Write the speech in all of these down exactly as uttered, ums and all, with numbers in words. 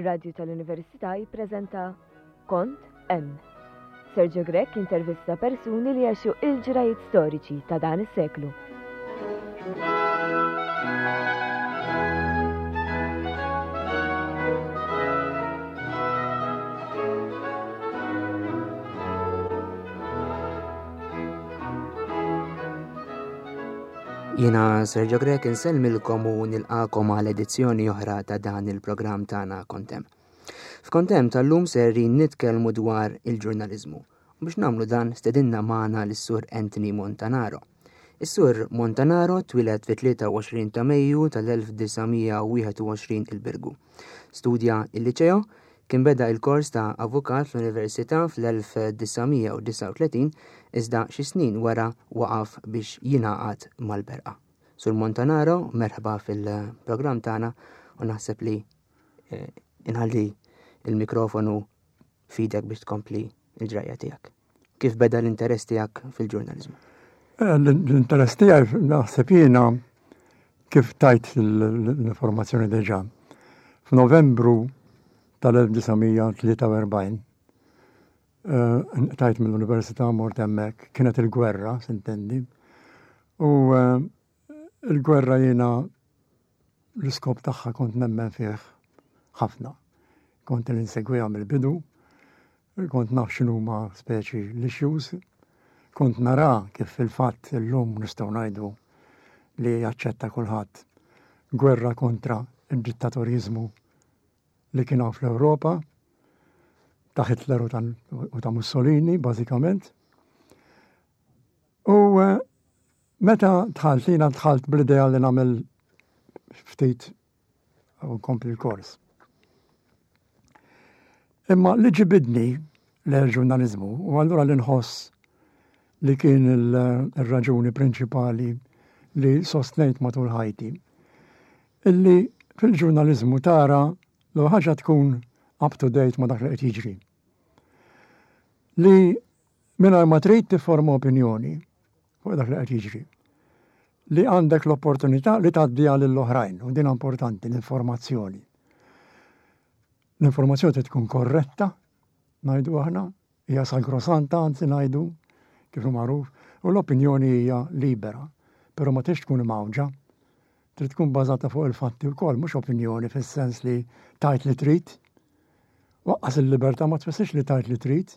Ir-Radju tal-Università jippreżenta Kont Hemm. Sergio Grech intervista persuni li għexu il-ġrajiet storiċi ta' dan is-seklu. Jiena Sergio Grech insellmilkom u nilqakom għal edizzjoni oħra ta' dan il-programm tagħna Kontem. F'Kontem tal-lum serrin nitkellmu dwar il-ġurnaliżmu. U biex nagħmlu dan stedinna magħna lis-Sur Anthony Montanaro. Is-Sur Montanaro twieled fit-tlieta u għoxrin ta' Mejju tal-elf disa' mija u wieħed u għoxrin il-Birgu. Studja il-liceo, kien beda il-kors ta' avukat fl-Università fl-elf disa' mija u disgħa u tletin, iżda xi snin wara waqaf biex jingħaqad mal-Berqa. Sur Montanaro, merħba fil-programm tagħna u naħseb li, eh, inħalli il-mikrofonu f'idek biex tkompli il-ġrajja tiegħek. Kif beda l-interess tiegħek fil-ġurnaliżmu? Eh, l-interess tiegħi naħseb jiena kif tajt l-informazzjoni diġà. F'Novembru tal-elf disa' mija tlieta u erbgħin, eh, tajt mill-università mort hemmhekk, kienet il-gwerra, s'intendi. U, eh, il-gwerra jiena l-iskop tagħha kont nemmen fih ħafna. Kont l-insegwiha mill-bidu, kont naf x'inhuma speċi l-issues, kont nara kif fil-fatt illum nistgħu ngħidu li jaċċetta kulħadd gwerra kontra id-dittatoriżmu li kien hawn fl-Ewropa ta' Hitler u ta', u ta' Mussolini, bażikament. U, eh, meta dħalt, jiena dħalt bl-idea li nagħmel ftit u nkompli l-kors. Imma li ġibidni l-ġurnaliżmu, u allura li nħoss li kien il-, il-raġuni prinċipali li sostnejt matul ħajti, illi fil-ġurnaliżmu tara l ħaġa tkun up to date ma dak li qed jiġri. Li mingħajr ma trid tifforma opinjoni fuq dak li qed jiġri. Li għandek l-opportunità li tgħaddiha lill-oħrajn, u din importanti, l-informazzjoni. L-informazzjoni trid tkun korretta, ngħidu aħna, hija sagrosanta, anzi ngħidu, kif hu magħruf, u l-opinjoni hija libera, però ma tridx tkun imgħawġa. Trid tkun bażata fuq il-fatti wkoll, mhux opinjoni fis-sens li tajt li trid. Waqqas il-libertà ma tfissirx li tajt li trid.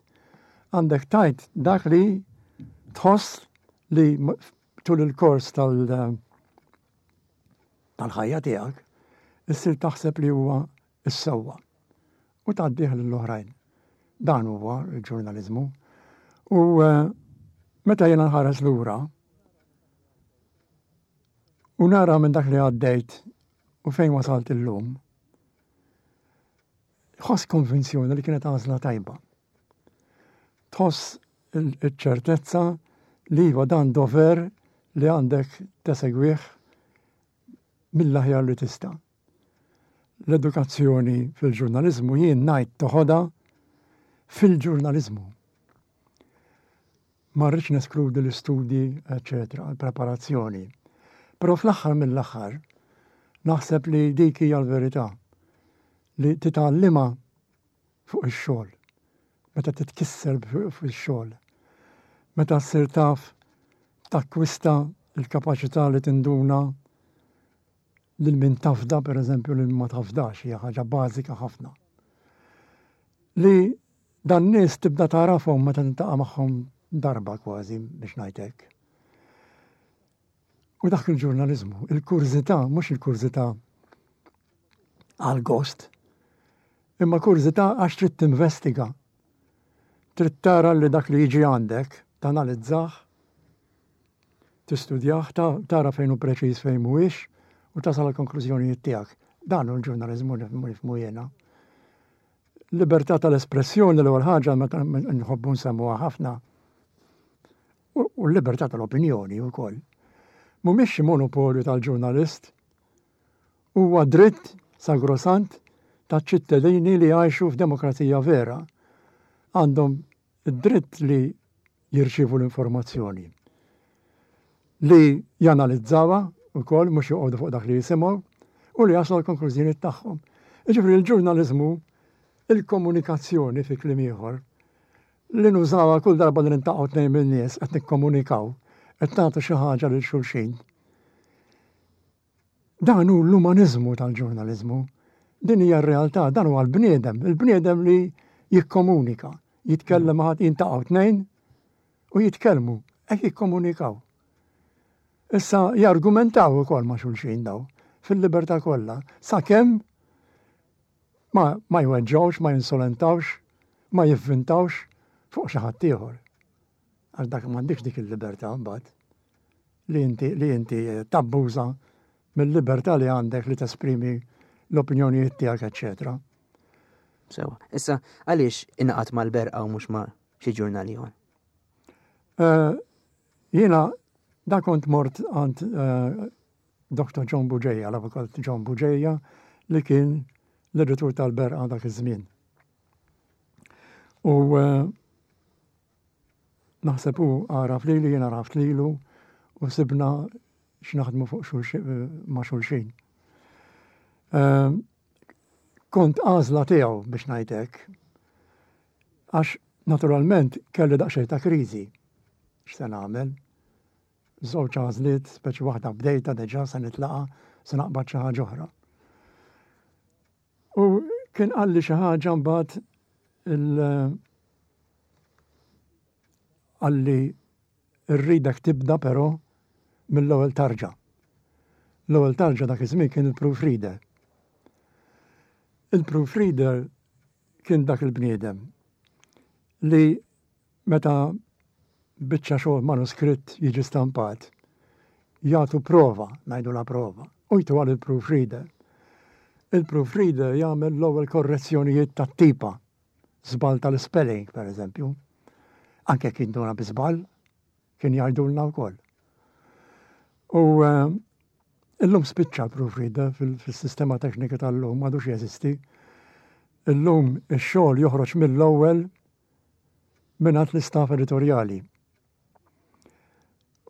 Għandek tajt dak li tħoss li m-, tul il-kors tal-, tal-ħajja tiegħek issir taħseb li huwa s-sewwa u tgħaddih lill-oħrajn. Dan huwa l-ġurnaliżmu. U, eh, meta jiena nħares lura u nara minn dak li għaddejt u fejn wasalt illum, ħoss konvinzjoni li kienet għażla tajba. Tħoss il-, il-ċertezza li iva dan dover li għandek tesegwih mill-aħjar li tista'. L-edukazzjoni fil-ġurnaliżmu jien ngħid toħodha fil-ġurnaliżmu. Ma rridx neskludi l-istudji, eċċetera, l-preparazzjoni. Però fl-aħħar mill-aħħar naħseb li dik hija l-verità li titgħallimha fuq ix-xogħol. Meta titkisser fuq ix-xogħol. Meta ssir taf takkwista l-kapaċità li tinduna lil min tafda, per eżempju, lil ma tafdax, hija ħaġa bażika ħafna. Li dan nies tibda tarafhom meta tintaqa' magħhom darba kważi biex ngħidlek. U dak il-ġurnaliżmu, il-kurżità, mhux il-kurżità għal-gost, imma kurżità għax trid tinvestiga. Trid tara li dak li jiġi għandek, tanalizzah, tistudjah, ta-, tara fejn hu preċiż fejn mhuwiex u tasal għall-konklużjonijiet tiegħek. Dan hu l-ġurnaliżmu nifhmu, nifhmu jiena. Libertà tal-espressjoni l-ewwel ħaġa meta nħobbu nsemmuha ħafna. U, u l-libertà tal-opinjoni wkoll. Mhumiex xi monopolju tal-ġurnalist, huwa dritt sagrosant taċ-ċittadini li jgħixu f'demokrazija vera. Għandhom id-dritt li jirċievu l-informazzjoni, li janalizzawha wkoll mhux joqogħdu fuq dak li jisimgħu u li jaslu l-konklużjoni tagħhom. Ġifieri l-ġurnaliżmu, il-komunikazzjoni fi kliem ieħor, li nużawha kull darba li niltaqgħu tnejn min-nies qed nikkomunikaw, qed nagħtu xi ħaġa lil xulxin. Dan hu l-umaniżmu tal-ġurnaliżmu. Din hija r-realtà, dan huwa l-bniedem, il-bniedem li jikkomunika, jitkellem ma' jiltaqgħu tnejn u jitkellmu, hekk jikkomunikaw. Issa jargumentaw ukoll ma' xulxin daw fil-libertà kollha, sakemm ma, ma jweġġawx, ma jinsolentawx, ma jivvintawx fuq xi ħadd ieħor. Għax dak m'għandekx dik il-libertà mbagħad li inti li inti tabbuża mill-libertà li għandek li tesprimi l-opinjonijiet tiegħek, eċċetera. Sewa. Issa, għaliex ingħaqadt mal-Berqa u mhux ma' xi ġurnal ieħor? Eh, Jiena da kont mort għand eh, Dottor John Bugeja, l-avukat John Bugeja, li kien l-editur tal-Berqa dak iż-żmien. U eh, naħseb u għaraf lili, jiena għaraft lilu u sibna x'naħdmu fuq xulxin, ma' xulxin. Eh, Kont għażla tiegħu biex ngħidlek. Għax naturalment kelli daqsxejn ta' kriżi. X'se nagħmel? Żewġ għażliet, speċi waħda bdejta diġà se nitlaqa, se naqbad xi ħaġa oħra. U kien qalli xi ħaġa mbagħad il qalli rridek tibda però mill-ewwel tarġa. L-ewwel tarġa dak iż-żmien kien il-proofreader. Il-proofreader kien dak il-bniedem li meta biċċa xogħol manuskritt jiġi stampat, jagħtu prova, ngħidu la prova, u jtu għal il-proofreader. Il-proofreader jagħmel l-ewwel korrezzjonijiet tat-tipa, żball tal-spelling, per eżempju. Anke kien dona bi żball, kien jgħidulna wkoll. U eh, illum spiċċa l-proofreader fil-sistema teknika tal-lum, m'għadux jeżisti. Illum ix-xogħol joħroġ mill-ewwel mingħand l-istaff editorjali.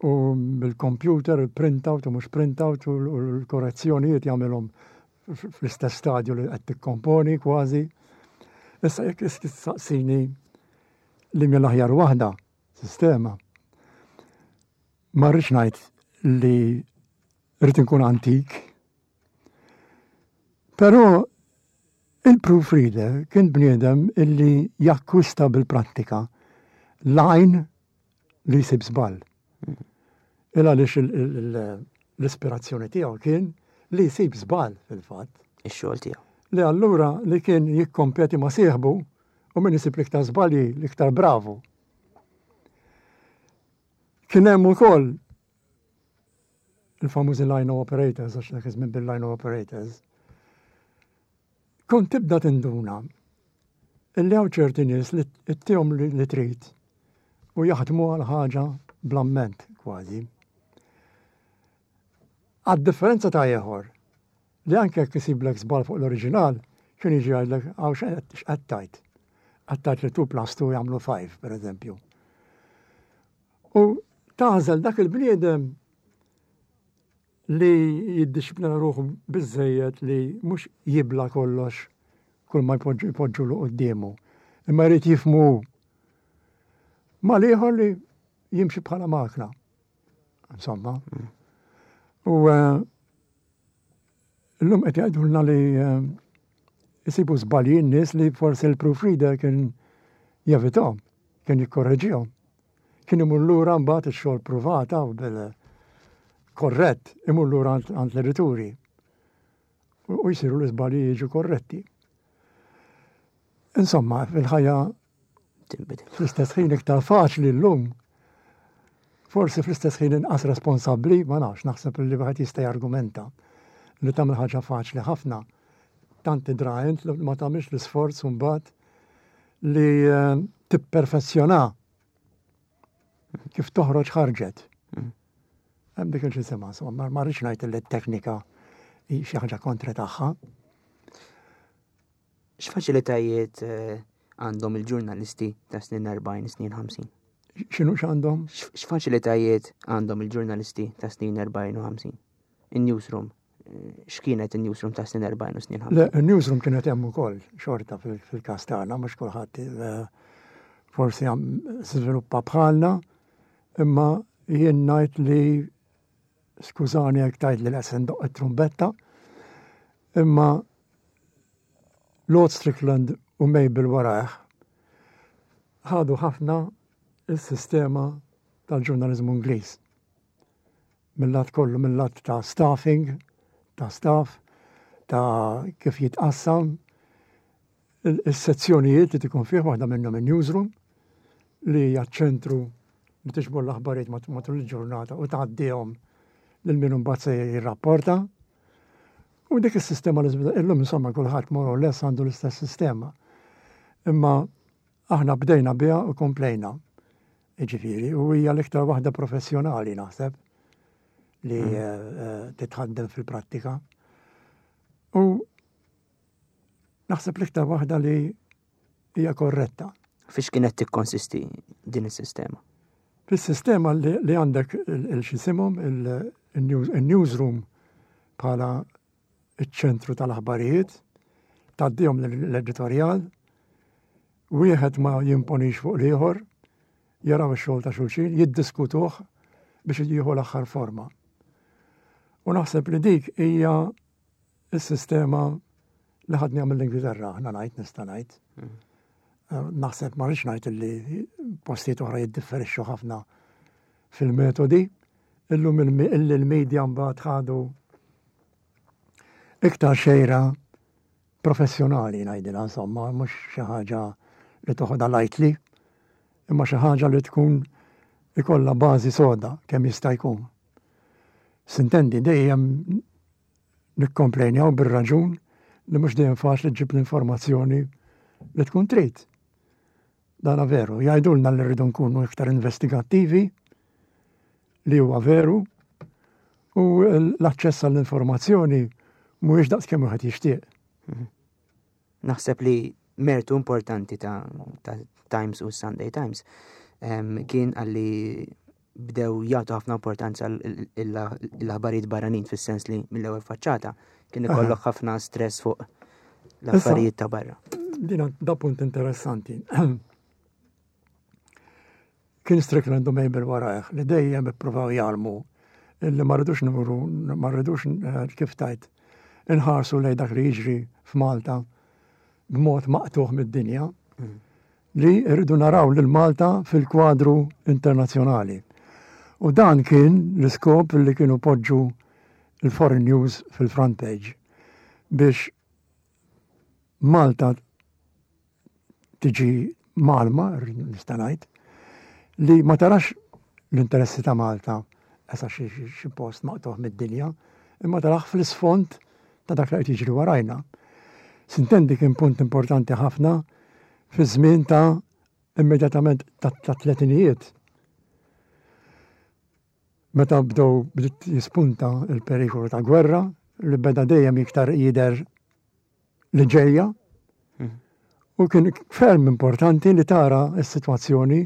U bil-computer, il-printout u mhux printout u l-korrezzjonijiet jagħmilhom fl-istess stadju li qed tikkomponi kważi. Issa jekk tistaqsini li mill aħjar waħda sistema. Ma rridx ngħid li rrid inkun antik. Però il-proofreader kien bniedem illi jakkwista bil-prattika l-għajn li jsib żball. Il għaliex l-ispirazzjoni tiegħu kien li jsib żball fil-fatt. Ix-xogħol tiegħu. Li allura li kien jikkompeti ma' sieħbu u min isib l-iktar żbalji l-iktar bravu. Kien hemm ukoll il-famużi line operators, għax dak iż-żmien bil-line operators. Kont tibda tinduna illi hawn ċerti nies li ittihom li trid u jaħdmu għal ħaġa bl-amment kważi. Għad differenza ta' ieħor li anke jekk isiblek żball fuq l-oriġinal, kien jiġi jgħidlek hawn x'qed tgħid. Qed tgħid li two plus two jagħmlu five, per eżempju. U tagħżel dak il-bniedem li jiddixxiplina ruħu biżejjed li mhux jibla kollox kull ma jpoġġu l quddiemu, imma jrid jifhmu. Ma l-ieħor li jimxi bħala makna. Insomma. U eh, llum qed jgħidulna li eh, jisibu żbalji n-nies li forsi l-proofreader kien jevitahom, kien jikkorreġihom. Kien imur lura mbagħad ix-xogħol pruvata u bil korrett imur lura għand l-edituri. U jsiru l-iżbalji jiġu korretti. Insomma, fil-ħajja Tinbidel. fl-istess ħin iktar faċli llum. Forsi fl-istess ħin inqas responsabbli, ma nafx, naħseb li wieħed jista' jargumenta li tagħmel ħaġa faċli ħafna. Tant tidra int li ma tagħmilx l-isforz mbagħad li eh, tipperfezzjona kif toħroġ ħarġet. Hemm dik il-ġisema, insomma, ma rridx ngħid li t-teknika hi xi ħaġa kontra tagħha. X'faċilitajiet eh, għandhom il-ġurnalisti ta' snin erbgħin, snin ħamsin? X'inhu x'għandhom? X'faċilitajiet għandhom il-ġurnalisti ta' snin erbgħin u ħamsin? In-newsroom, X'kienet in-newsroom ta' snin erbgħin u snin Le, ħamsin? Il-newsroom kienet hemm ukoll xorta fil- fil-każ tagħna, mhux kulħadd eh, forsi għam żviluppa bħalna, imma jien ngħid li, skużani jekk tgħid li qed ndoqq it-trumbetta, imma Lord Strickland u Mabel warajh ħadu ħafna il-sistema tal-ġurnalizmu Ingliż. Mill-lat kollu, mill-lat ta' staffing, ta' staff, ta' kif jitqassam, il- il-sezzjonijiet li tikun fih, waħda minnhom il-newsroom, li hija ċentru li tiġbor l-aħbarijiet mat- matul il-ġurnata u tgħaddihom lil min imbagħad se jirrapporta. U dik is-sistema li żvila- illum insomma kulħadd more or less għandu l-istess sistema. Imma aħna bdejna biha u komplejna. Jiġifieri, u hija l-iktar waħda professjonali, naħseb, li eh, eh, titħaddem fil-prattika. U naħseb l-iktar waħda li hija korretta. Fiex kienet tikkonsisti din is-sistema? Fis-sistema li, li għandek il-xisimhom il-newsroom bħala iċ-ċentru tal-aħbarijiet, tgħaddihom l-editorjal, wieħed ma jimponix fuq l-ieħor, jaraw ix-xogħol ta' xulxin, jiddiskutuh biex jieħu l-aħħar forma. U naħseb li dik hija s-sistema li ħadna mill-Ingilterra, aħna ngħid, nista' ngħid. Eh, Naħseb ma rridx ngħid li postijiet oħra jiddifferixxu ħafna fil-metodi, illum illi l-media mbagħad ħadu iktar xejra professjonali, ngħidilha, insomma, mhux xi ħaġa li toħodha lightly, imma xi ħaġa li tkun ikollha bażi soda kemm jista' jkun. S'intendi, dejjem nikkomplejnjaw bir-raġun li mhux dejjem faċli ġġib l-informazzjoni li tkun trid. Dana veru, jgħidulna li rridu nkunu iktar investigattivi, li huwa veru, u l-aċċess għall-informazzjoni mhuwiex daqs kemm wieħed jixtieq. Naħseb li mertu importanti ta', ta Times u Sunday Times em, kien għalli bdew jagħtu ħafna importanza l-aħbarijiet barranin, fis-sens li mill-ewwel faċċata kien ikollok ħafna stress fuq l-affarijiet ta' barra. Dina da punt interessanti. Kien Strickland u Mabel warajh li dejjem ippruvaw jgħallmu illi ma rridux nuru, ma rridux eh, kif tajt, inħarsu lej dak li jiġri f'Malta b'mod maqtuħ mid-dinja, li rridu naraw lil Malta fil-kwadru internazzjonali. U dan kien l-iskop li kienu poġġu il-foreign news fil-front page biex Malta tiġi mgħallma, nista' ngħid, li ma tarax l-interessi ta' Malta esa xi xi post maqtuħ mid-dinja, imma tarax fl-isfond ta' dak li qed jiġri warajna. S'intendi, kien punt importanti ħafna fi żmien ta' immedjatament ta' ta' tletinijiet. Meta bdew bdiet jispunta il-perikolu ta' gwerra li beda dejjem iktar jidher li ġejja. U kien ferm importanti li tara s-sitwazzjoni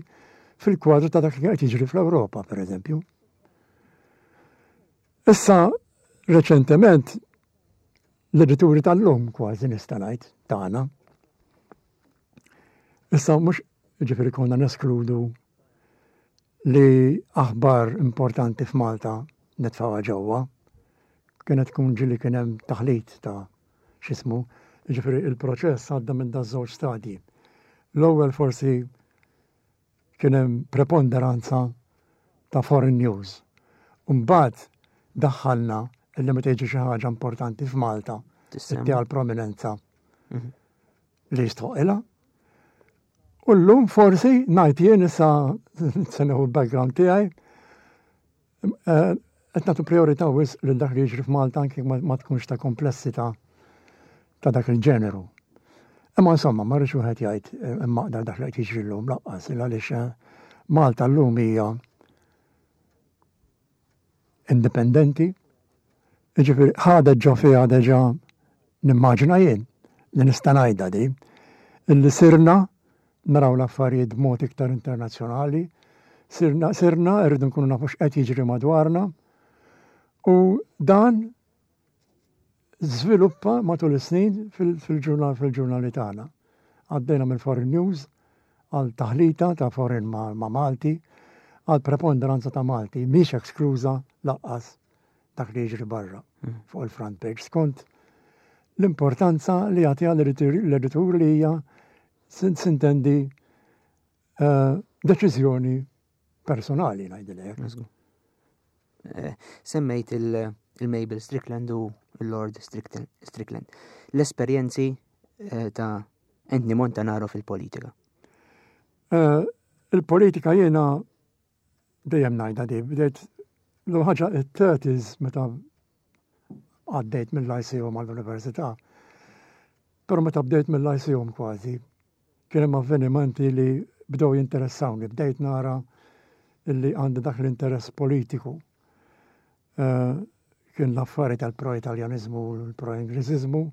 fil-kwadru ta' dak li qed jiġri fl-Ewropa, per eżempju. Issa, reċentement, l-edituri tal-lum, kważi nista' ngħid, tagħna. Issa mhux ġifieri konna neskludu li aħbar importanti f'Malta nitfgħuha ġewwa. Kienet tkun ġili kien hemm taħlit ta' x'ismu, ġifieri il-proċess għadda minn da żewġ stadji. L-ewwel forsi kien hemm preponderanza ta' foreign news. Mbagħad daħħalna illi meta jiġi xi ħaġa importanti f'Malta, Tissemma. ittiha l-prominenza Mhm. li jistħoqilha. U llum forsi ngħid jien, issa se nieħu l-background tiegħi, eh, qed nagħtu priorità wisq lil dak li jiġri f'Malta anke ma ma tkunx ta' komplessità ta' dak il-ġeneru. Imma insomma, ma rridx wieħed jgħid eh, immaqdar dak li qed jiġri llum lanqas, għaliex eh, Malta llum hija indipendenti, jiġifieri ħadet ġo fiha deġa, nimmaġina jien li nista' ngħidha di, illi sirna naraw l-affarijiet b'mod iktar internazzjonali, sirna, sirna rridu nkunu nafu x'qed jiġri madwarna u dan żviluppa matul is-snin fil-ġurnal fil-ġurnali tagħna. Għaddejna mill Foreign News għal taħlita ta' foreign ma', ma Malti, għal preponderanza ta' Malti, mhix ekskluża lanqas dak li jiġri barra mm. fuq il-front page. Skont l-importanza li jagħtiha l-editur, li hija, sintendi, eh, deċiżjoni personali, ngħidilek. Eh, semmejt il-Mabel Strickland u il-Lord Strickland. L-esperjenzi eh, ta' Anthony Montanaro fil-politika. Eh, il-politika jiena dejjem ngħidha di, bdejt l ħaġa it-thirties meta għaddejt mill-Lyceum għall-Università. Però meta bdejt mill-Lyceum kważi, kien hemm avvenimenti li bdew jinteressawni, bdejt nara illi għandi dak l-interess politiku. Eh, kien l-affari tal-pro-Italjanizmu u l-pro-Ingliżizmu,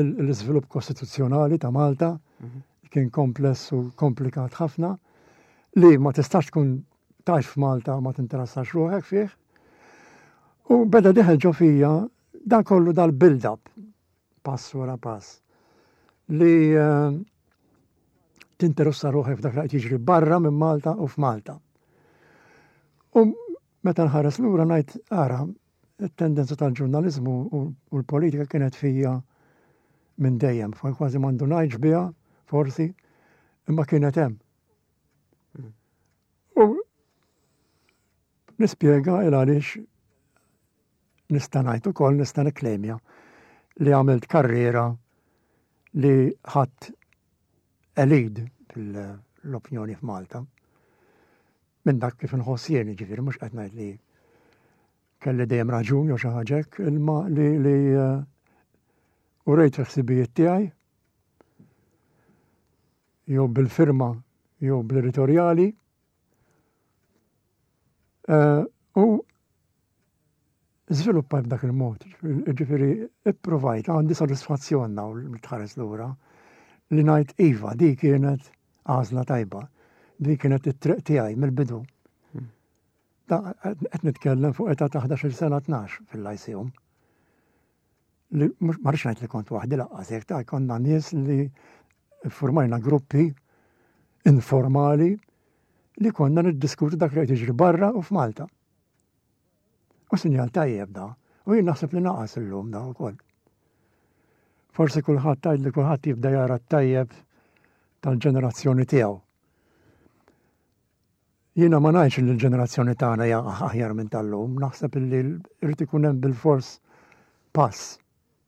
l-iżvilupp kostituzzjonali ta' Malta mhm. kien kompless u komplikat ħafna li ma tistax tkun tgħix f'Malta ma tinteressax ruħek fih. U beda dieħel ġo fija dan kollu, dal-build-up, pass wara pass, li uh, tinteressa ruħek f'dak li qed jiġri barra minn Malta u f'Malta. U meta nħares lura ngħid, ara, it-tendenza tal-ġurnalizmu u l-politika kienet fija minn dejjem, kważi m'għandu ngħidx biha, forsi, imma kienet hemm. Hmm. U nispjega il għaliex nista' ngħid ukoll, nista' nikklejmja li għamilt karriera li ħadd lead fil-opinjoni f'Malta. Minn dak kif nħoss jien, ġifieri mhux qed ngħid li kelli dejjem raġun jew xi ħaġa hekk, imma li li uh, urejt il-ħsibijiet tiegħi jew bil-firma jew bl-editorjali uh, u żviluppajt b'dak il-mod. Ġifieri ipprovajt, għandi sodisfazzjon naw li tħares lura li ngħid iva, di kienet għażla tajba. Di kienet it-triq tiegħi mill-bidu. Qed nitkellem fuq età ta' ħdax-il sena, tnax fil-Lyceum. Li mhux ma rridx ngħid li kont waħdi lanqas hekk, ta' konna nies li formajna gruppi informali li konna niddiskutu dak li qed jiġri barra u f'Malta. U sinjal tajjeb da. U jien naħseb li naqas illum da wkoll. Forsi kulħadd tgħid li kulħadd jibda jara t-tajjeb tal-ġenerazzjoni tiegħu. Jiena ma ngħidx li l-ġenerazzjoni tagħna hija aħjar minn tal-lum, naħseb li rrid ikun hemm bil-fors pass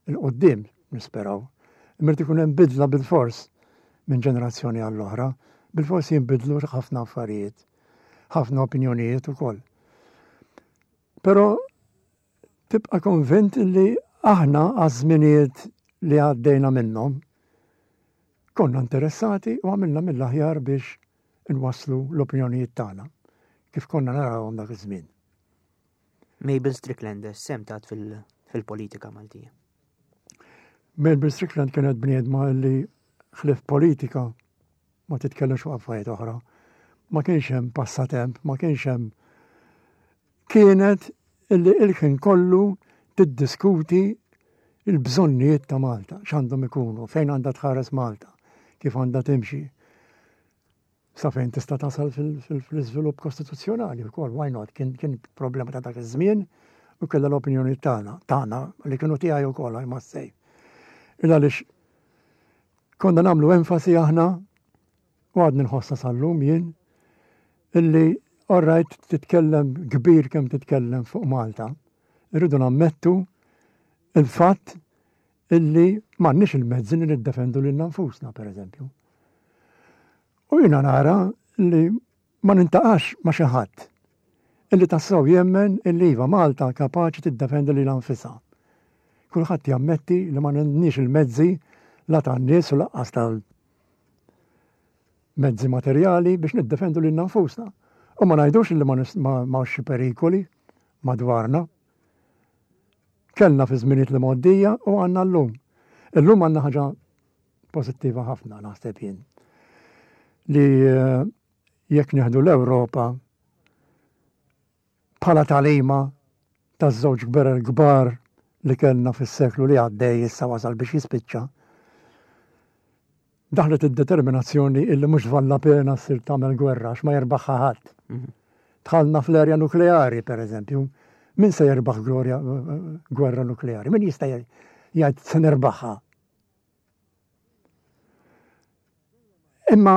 'il quddiem, nisperaw. Imma irid ikun hemm bidla bil-fors minn ġenerazzjoni għall-oħra, bil-fors jinbidlu ħafna affarijiet, ħafna opinjonijiet ukoll. Però tibqa' konvint li aħna għaż-żminijiet li għaddejna minnhom konna interessati u għamilna mill-aħjar biex nwasslu l-opinjonijiet tagħna kif konna narawhom dak iż-żmien. Mabel Strickland sehem tat fil-politika Maltija. Mabel Strickland kienet bniedma li ħlief politika ma titkellemx fuq affarijiet oħra. Ma kienx hemm passatemp, ma kienx hemm, kienet illi il-ħin kollu tiddiskuti il-bżonnijiet ta' Malta, x'għandhom ikunu, fejn għandha tħares Malta, kif għandha timxi. Sa fejn tista' tasal fil-iżvilupp kostituzzjonali wkoll, why not? Kien, kien problema ta' dak iż-żmien u kellha l-opinjoni tagħna, tagħna li kienu tiegħi wkoll, I must say. Il għaliex konna nagħmlu enfasi aħna, u għadni nħossa sal-lum jien, illi all right, titkellem kbir kemm titkellem fuq Malta, irridu nammettu il-fatt illi m'għandniex il-mezzi li niddefendu lil nfusna, per eżempju. U jiena nara li ma niltaqax ma xi ħadd illi tassew jemmen illi iva, Malta kapaċi tiddefendi lilha nfisha. Kulħadd jammetti li ma għandniex il-mezzi, la tan-nies u lanqas tal mezzi materjali, biex niddefendu lil nfusna. U ma ngħidux li ma ma xi perikoli madwarna. Kellna fi żminijiet li mgħoddija u għandna llum. Illum għandna ħaġa pożittiva ħafna, naħseb jien. Li eh, jekk nieħdu l-Ewropa bħala tagħlima taż-żewġ gwerer kbar li kellna fis-seklu li għaddej issa wasal biex jispiċċa, daħlet id-determinazzjoni illi mhux valla pena ssir tagħmel gwerra għax ma jerbaħha ħadd. Mhm. Dħalna fl-erja nukleari, per eżempju. Min se jerbaħ glorja gwerra nukleari? Min jista' jgħid se nerbaħha? Imma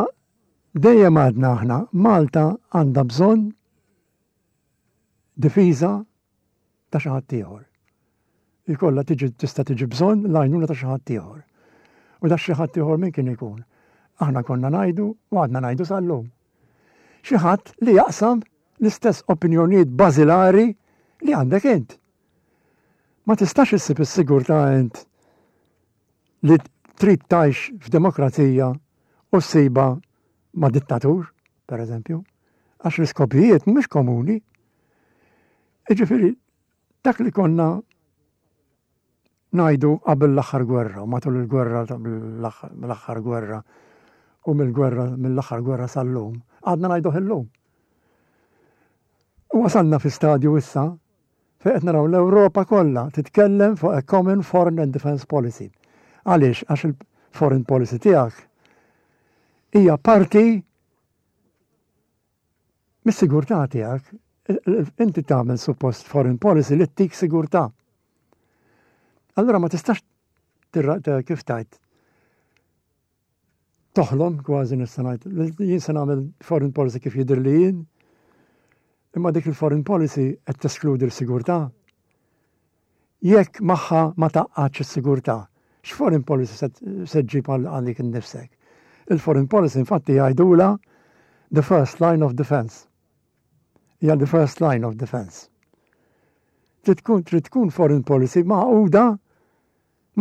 dejjem għadna aħna Malta għandha bżonn difiża ta' xi ħadd ieħor. Ikollha tiġi tista' tiġi bżonn l-għajnuna ta' xi ħadd ieħor. U da xi ħadd ieħor min kien ikun? Aħna konna ngħidu u għadna ngħidu sal-lum. Xi ħadd li jaqsam l-istess opinjonijiet bażilari li għandek int. Ma tistax issib is-sigurtà int li trid tgħix f'demokrazija u ssiba ma' dittatur, per eżempju, għax l-iskopijiet mhumiex komuni. Jiġifieri, dak li konna ngħidu qabel l-aħħar gwerra, u matul il-gwerra l-aħħar gwerra u mill-gwerra mill-aħħar gwerra sal-lum, għadna ngħiduh illum. U wasalna fi stadju issa fejn qed naraw l-Ewropa kollha titkellem fuq a common foreign and defense policy. Għaliex? Għax il-foreign policy tiegħek hija parti mis-sigurtà tiegħek. Inti tagħmel suppost foreign policy li ttik sigurtà. Allura ma tistax kif tajt toħlom kważi nista' ngħid jien se nagħmel foreign policy kif jidher li jien, imma dik il-foreign policy qed teskludi l-sigurtà. Jekk magħha ma taqqatx is-sigurtà, x'foreign policy se ġġib għalik innifsek? Il-foreign policy infatti jgħidula the first line of defense. Hija the first line of defense. Trid tkun trid tkun foreign policy magħquda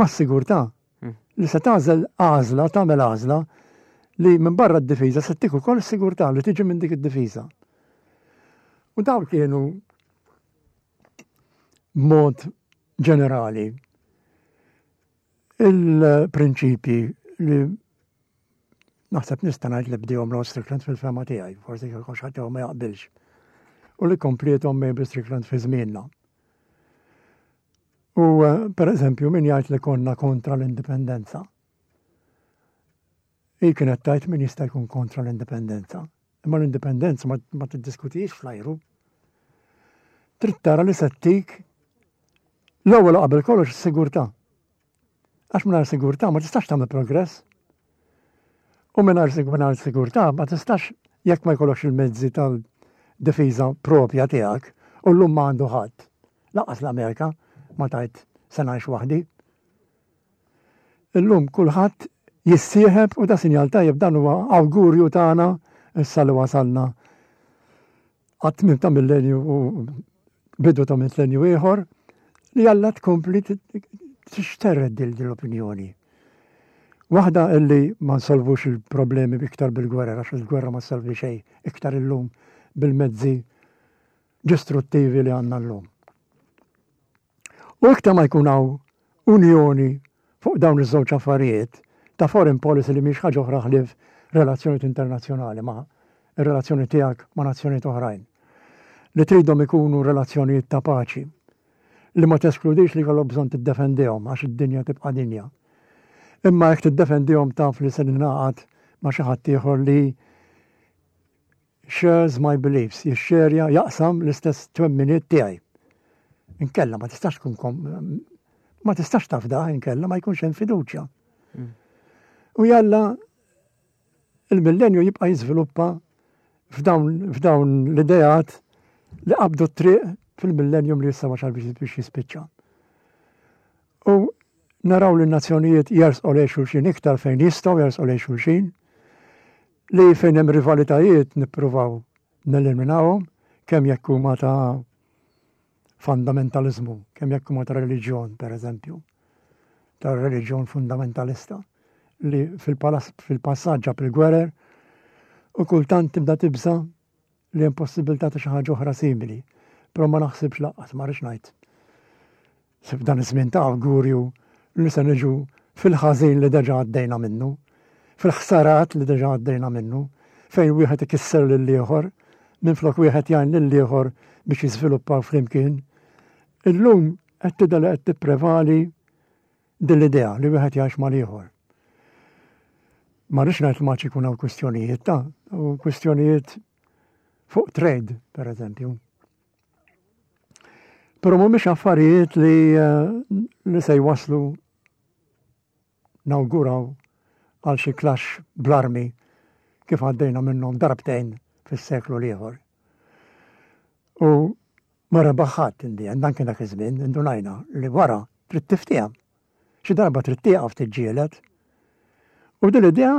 mas-sigurtà. Li se tagħżel għażla, tagħmel għażla li minn barra d-difiża se ttik ukoll is-sigurtà li tiġi minn dik id-difiża. U dawn kienu mod ġenerali il-prinċipji li naħseb nista' ngħid li bdihom Rod Strickland fil-fema tiegħi, forsi kieku xi ħadd ma jaqbilx. U li komplietom Mabel Strickland fi żmienna. U per eżempju, min jgħid li konna kontra l-indipendenza. Hi kienet tgħid min jista' jkun kontra l-indipendenza. Imma l-indipendenza ma, ma tiddiskutix fl-ajru. Trid tara li se ttik l-ewwel qabel kollox is-sigurtà. Għax mingħajr sigurtà ma tistax tagħmel progress. U mingħajr sigurtà ma tistax jekk ma jkollokx il-mezzi tal-difiża propja tiegħek u llum ma għandu ħadd. Lanqas l-Amerika ma tajt se ngħix waħdi. Illum kulħadd jissieħeb u da sinjal tajjeb, dan huwa awgurju tagħna issa li wasalna għat-tmiem ta' millenju u bidu ta' millenju ieħor li Alla tkompli tixterred din l-opinjoni. Waħda illi ma nsolvux il-problemi iktar bil-gwerra, għax il-gwerra ma solvi xejn iktar illum bil-mezzi distruttivi li għandna llum. U iktar ma jkun hawn unjoni fuq dawn iż-żewġ affarijiet ta' foreign policy li mhix ħaġa oħra ħlief relazzjonijiet internazzjonali ma' ir-relazzjoni tiegħek ma' nazzjonijiet oħrajn. Li tridhom ikunu relazzjonijiet ta' paċi, li ma teskludix li jkollok bżonn tiddefendihom għax id-dinja tibqa' dinja. Imma jekk tiddefendihom taf li se ningħaqad ma' xi ħadd ieħor li shares my beliefs, jixxerja, jaqsam l-istess twemminiet tiegħi. Inkella ma tistax tkun kom, ma tistax tafda, inkella ma jkunx hemm fiduċja. Mm. U jalla il-millenju jibqa' jiżviluppa f'dawn, f'dawn l-ideat li qabdu t-triq fil-millennium li issa wasal biex, biex jispiċċa. U naraw li n-nazzjonijiet jersqu lejn xulxin iktar fejn jistgħu jersqu lejn xulxin, li fejn hemm rivalitajiet nippruvaw neliminawhom, kemm jekk huma ta' fundamentalizmu, kemm jekk huma ta' reliġjon, per eżempju, ta' reliġjon fundamentalista, li fil-passaġġ ġab il-gwerer u kultant tibda tibża li hemm possibilità ta' xi ħaġa oħra simili. Però ma naħsibx lanqas, ma rridx ngħid. F'dan iż-żmien ta' awgurju li se niġu fil-ħażin li deġa għaddejna minnu, fil-ħsarat li deġa għaddejna minnu, fejn wieħed ikisser lil ieħor, minflok wieħed jgħin lil ieħor biex jiżviluppaw flimkien. Illum qed tidher li qed tipprevali din l-idea li wieħed jgħix mal-ieħor. Ma rridx ngħid ma ikun hawn kwistjonijiet ta' u kwistjonijiet fuq trade, per eżempju. Però mhumiex affarijiet li, eh, li se jwaslu nawguraw għal xi clash bl-armi kif għaddejna minnhom darbtejn fis-seklu l-ieħor. U ma rebaħ ħadd indi, dan kien dak iż-żmien, indunajna li wara trid tiftiehem. Xi darba trid tieqaf tiġġieled. U din l-idea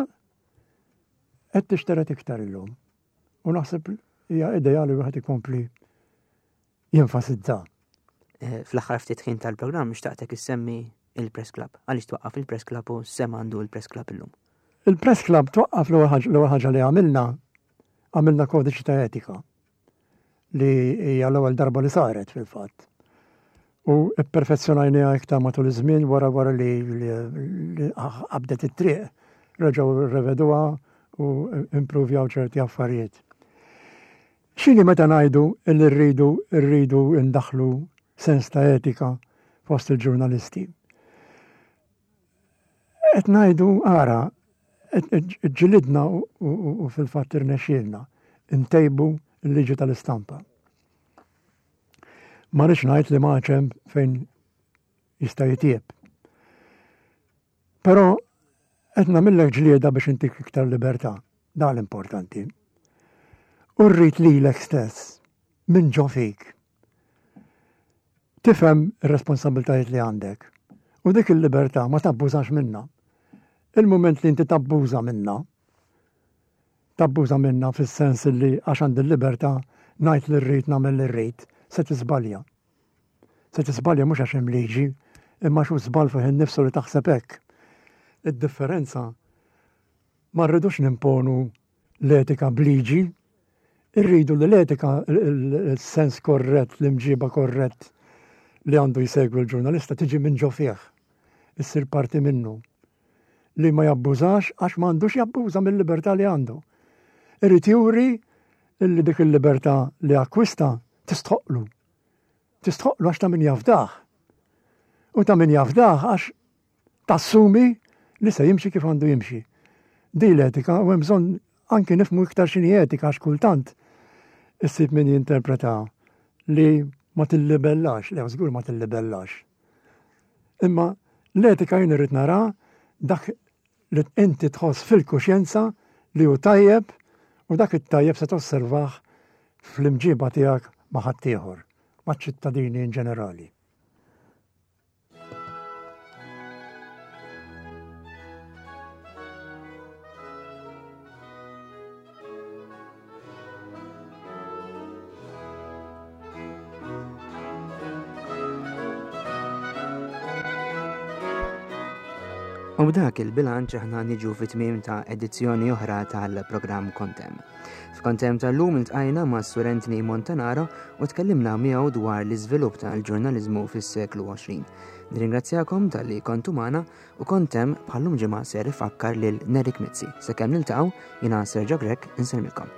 qed tixteret iktar illum. U naħseb hija idea li wieħed ikompli jenfasizza. Eh, fl-aħħar ftit ħin tal-programm xtaqtek issemmi il-Press Club. Għaliex twaqqaf il-Press Club u x'sehem għandu il-Press Club illum? Il-Press Club twaqqaf l-ewwel ħaġa li għamilna, għamilna kodiċi ta' etika li hija l-ewwel darba li saret fil-fatt. U ipperfezzjonajniha iktar matul iż-żmien wara wara li qabdet it-triq, reġgħu rreveduha u improvjaw ċerti affarijiet. X'inhi meta ngħidu li rridu rridu ndaħlu sens ta' etika fost il-ġurnalisti? Qed ngħidu ara, ġilidna u fil-fatt irnexxielna ntejbu l-liġi tal-istampa. Ma rridx ngħid li ma hemm fejn jista' jitjieb. Però qed nagħmillek ġlieda biex intik iktar libertà, dan l-importanti. U rrid lilek stess minn ġo fik. Tifhem ir-responsabbiltajiet li għandek. U dik il-libertà ma tabbużax minna. Il-moment li inti tabbuża minna, tabbuża minna fis-sens li għax għandi l-libertà ngħid li rrid nagħmel li rrid, se tiżbalja. Se tiżbalja mhux għax hemm liġi, imma xu żball fih innifsu li taħseb hekk. Id-differenza ma rridux nimponu l-etika b'liġi, irridu li l-etika, il-sens korrett, l-imġiba korrett li għandu jsegwi l-ġurnalista tiġi minn ġo fih, issir parti minnu. Li ma jabbużax għax ma għandux jabbuża mill-libertà li għandu. Irid juri illi dik il-libertà li akkwista tistħoqlu. Tistħoqlu għax ta' min jafdah. U ta' min jafdah għax tassumi li se jimxi kif għandu jimxi. Di l-etika u hemm bżonn anki nifhmu iktar x'inhi etika għax kultant issib min jinterpreta li ma tillibellax, le żgur ma tillibellax. Imma l-etika jien irrid nara dak li inti tħoss fil-kuxjenza li hu tajjeb u dak it-tajjeb se tosservah fl-imġiba tiegħek ma' ħaddieħor, maċ-ċittadini in ġenerali. U b'dak il-bilanċ aħna niġu fit-tmiem ta' edizzjoni oħra tal-programm Kont Hemm. F'Kont Hemm tal-lum iltqajna ma' Sur Anthony Montanaro u tkellimna miegħu dwar l-iżvilupp tal-ġurnaliżmu fis-seklu għoxrin. Nirringrazzjakom talli kontu magħna u Kont Hemm bħallum ġimgħa ser ifakkar lil Nerik Mizzi. Sakemm niltaqgħu, jiena Sergio Grech insellmilkom.